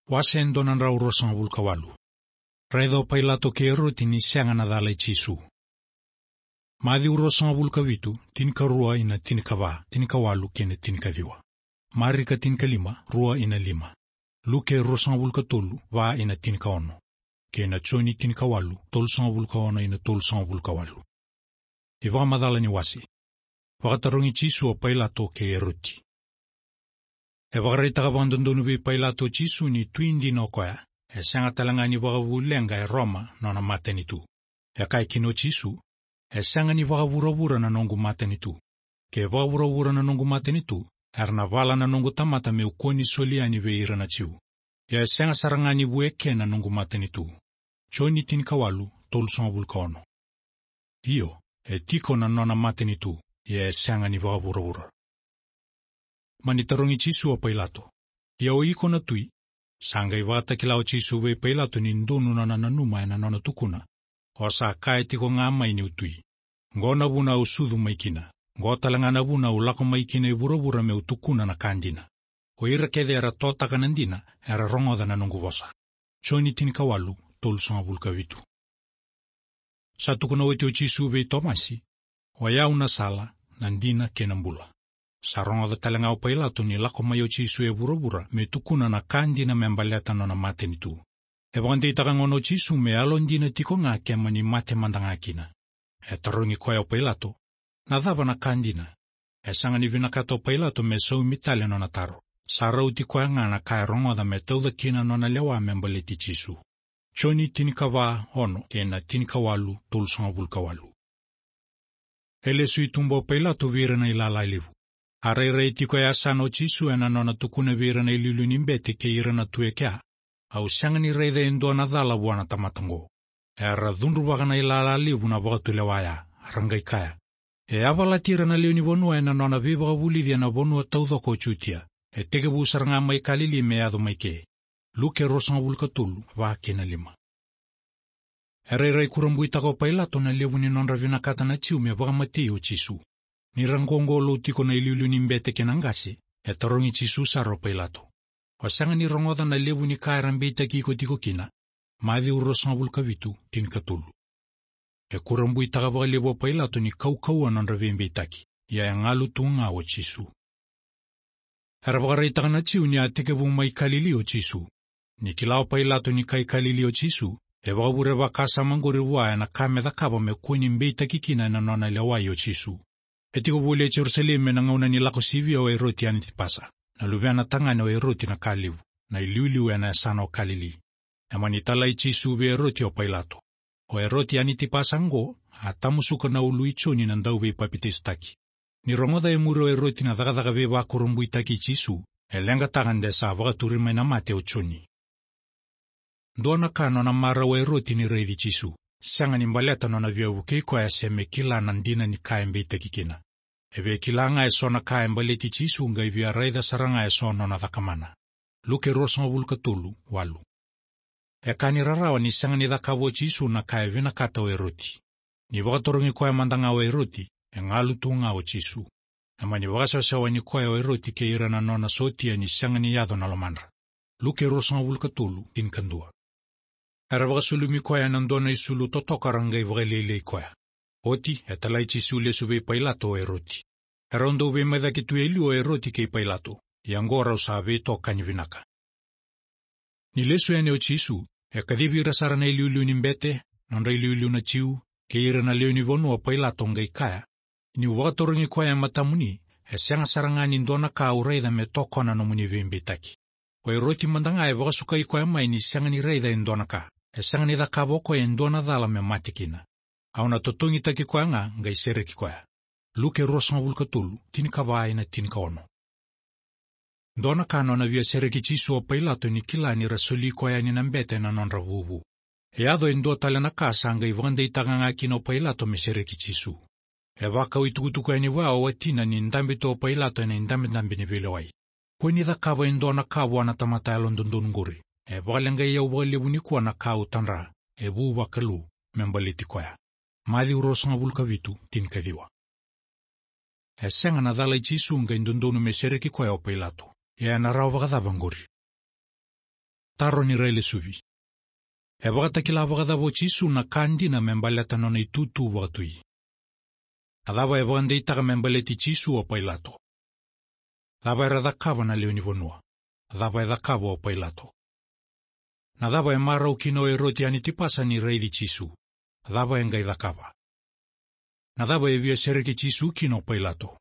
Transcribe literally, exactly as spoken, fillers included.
Wase e dua na drau ruasagavulu ka walu. Raica o Pailato kei Eroti ni sega na cala i Jisu. Maciu ruasagavulu ka vitu, tinikarua ina tinikava, tinikawalu kei na tinikaciwa. Marika tinikalima, rua ina lima. Luke ruasagavulu ka tolu, va ina tinikaono. Kei na Joni tinikawalu, tolusagavulu ka ono ina tolusagavulu ka walu. iVakamacala ni wase. Vakatarogi Jisu o Pailato kei Eroti. E vakaraitaka vakadodonu vei Pailato o Jisu ni tui dina o koya, e sega tale ga ni vakavu leqa e Roma nona matanitu. E kaya kina o Jisu, e sega ni vakavuravura na noqu matanitu. Ke vakavuravura na noqu matanitu, era na vala na noqu tamata meu kua ni soli yani vei ira na Jiu. Ia e sega sara ga ni vu eke na noqu matanitu. Joni tinikawalu, tolusagavulu ka ono. Io, e tiko na nona matanitu, ia e sega ni vakavuravura. Mani tarogi Jisu o Pailato, ia o iko na tui? Sa qai vakatakila o Jisu vei Pailato ni donu nona nanuma ena nona tukuna, o sa kaya tiko ga mai niu tui. Qo na vuna au sucu mai kina, qo tale ga na vuna au lako mai kina e vuravura meu tukuna na ka dina. O ira kece era totaka na dina, era rogoca na noqu vosa. Joni tinikawalu, tolusagavulu ka vitu. Sa tukuna oti o Jisu vei Tomasi, o yau na sala, na dina kei na bula. Sa rogoca tale ga o Pailato ni lako mai o Jisu e vuravura me tukuna na ka dina me baleta nona matanitu. E vakadeitaka gona o Jisu me yalodina tiko ga ke mani mate mada ga kina. E tarogi koya o Pailato, na cava na ka dina? E sega ni vinakata o Pailato me saumi tale nona taro. Sa rauti koya ga na ka e rogoca me tauca kina nona lewa me baleti Jisu. Joni tinikava ono kei na tinikawalu, tolusagavulu ka walu. E lesu i tuba o Pailato vei ira na ilala levu. A rairai tiko e yasana o Jisu ena nona tukuna vei ira na iliuliu ni bete kei ira na tu e kea, au sega ni raica e dua na cala vua na tamata qo. Era cudruvaka na ilala levu na vakatulewa ya, ra qai kaya, e yavalati ira na lewe ni vanua ena nona veivakavulici ena vanua taucoko o Jutia. E tekivu sara ga mai Kalili me yaco mai ke. Luke ruasagavulu ka tolu, va kei na lima. E rairai kurabuitaka o Pailato na levu ni nodra vinakata na Jiu me vakamatei o Jisu. Ni ra qoqolou tiko na iliuliu ni bete kei na qase, e tarogi Jisu sara o Pailato, o sega ni rogoca na levu ni ka era beitaki iko tiko kina? Maciu ruasagavulu ka vitu, tinikatolu. E kurabuitaka vakalevu o Pailato ni kaukauwa nodra veibeitaki, ia e galu tu ga o Jisu. Era vakaraitaka na Jiu ni a tekivu mai Kalili o Jisu. Ni kila o Pailato ni kai Kalili o Jisu, e vakavure vakasama qori vua ena ka me cakava me kua ni beitaki kina ena nona lewai o Jisu. E tiko voli e Jerusalemi ena gauna ni lako sivia o Eroti Anitipasa, na luvena tagane o Eroti na Kalevu, na iliuliu ena yasana o Kalili. E mani talai Jisu vei Eroti o Pailato. O Eroti Anitipasa qo, a tamusuka na ulu i Joni na dauveipapitaisotaki. Ni rogoca e muri o Eroti na cakacaka veivakurabuitaki i Jisu, e leqataka de sa vakaturi mai na mate o Joni. Dua na ka nona marau o Eroti ni raici Jisu, sega ni baleta nona via vukei koya se me kila na dina ni ka e beitaki kina. E via kila ga eso na ka e baleti Jisu qai via raica sara ga eso nona cakamana. Luke ruasagavulu ka tolu, walu. E ka ni rarawa ni sega ni cakava o Jisu na ka e vinakata o Eroti. Ni vakatarogi koya mada ga o Eroti, e galu tu ga o Jisu. E mani vakasewasewani koya o Eroti kei ira na nona sotia ni sega ni yaco na lomadra. Luke ruasagavulu ka tolu, tinikadua. Era vakasulumi koya ena dua na isulu totoka ra qai vakalialiai koya. Oti, e talai Jisu lesu vei Pailato o Eroti. Erau dau veimacaki tu e liu o Eroti kei Pailato, ia qo rau sa veitokani vinaka. Ni lesu yani o Jisu, e kacivi ira sara na iliuliu ni bete, nodra iliuliu na Jiu, kei ira na lewe ni vanua o Pailato qai kaya, niu vakatarogi koya e matamuni, e sega sara ga ni dua na ka au raica me tokona nomuni veibeitaki. O Eroti mada ga e vakasukai koya mai ni sega ni raica e dua na ka, e sega ni cakava o koya e dua na cala me mate kina. Au na totogitaki koya ga qai sereki koya. Luke ruasagavulu ka tolu, tinikava ina tinikaono. Dua na ka nona via sereki Jisu o Pailato ni kila ni ra soli koya yani na bete na nodra vuvu. E yaco e dua tale na ka sa qai vakadeitaka ga kina o Pailato me sereki Jisu. E vakau itukutuku yani vua o watina ni dabe tu o Pailato ena idabedabe ni veilewai. Kua ni cakava e dua na ka vua na tamata yalododonu qori. E vakaleqai au vakalevu nikua na ka au tadra, e vu vakalou, me baleti koya. Maciu ruasagavulu ka vitu, tinikaciwa. E sega na cala i Jisu qai dodonu me sereki koya o Pailato. Ia ena rawa vakacava qori? Taro ni railesuvi. E vakatakila vakacava o Jisu na ka dina me baleta nona itutu vakatui? Na cava e vakadeitaka me baleti Jisu o Pailato? Cava era cakava na lewe ni vanua? Cava e cakava o Pailato? Na cava e marau kina o Eroti Anitipasa ni raici Jisu? Cava e qai cakava? Na cava e via sereki Jisu kina o Pailato?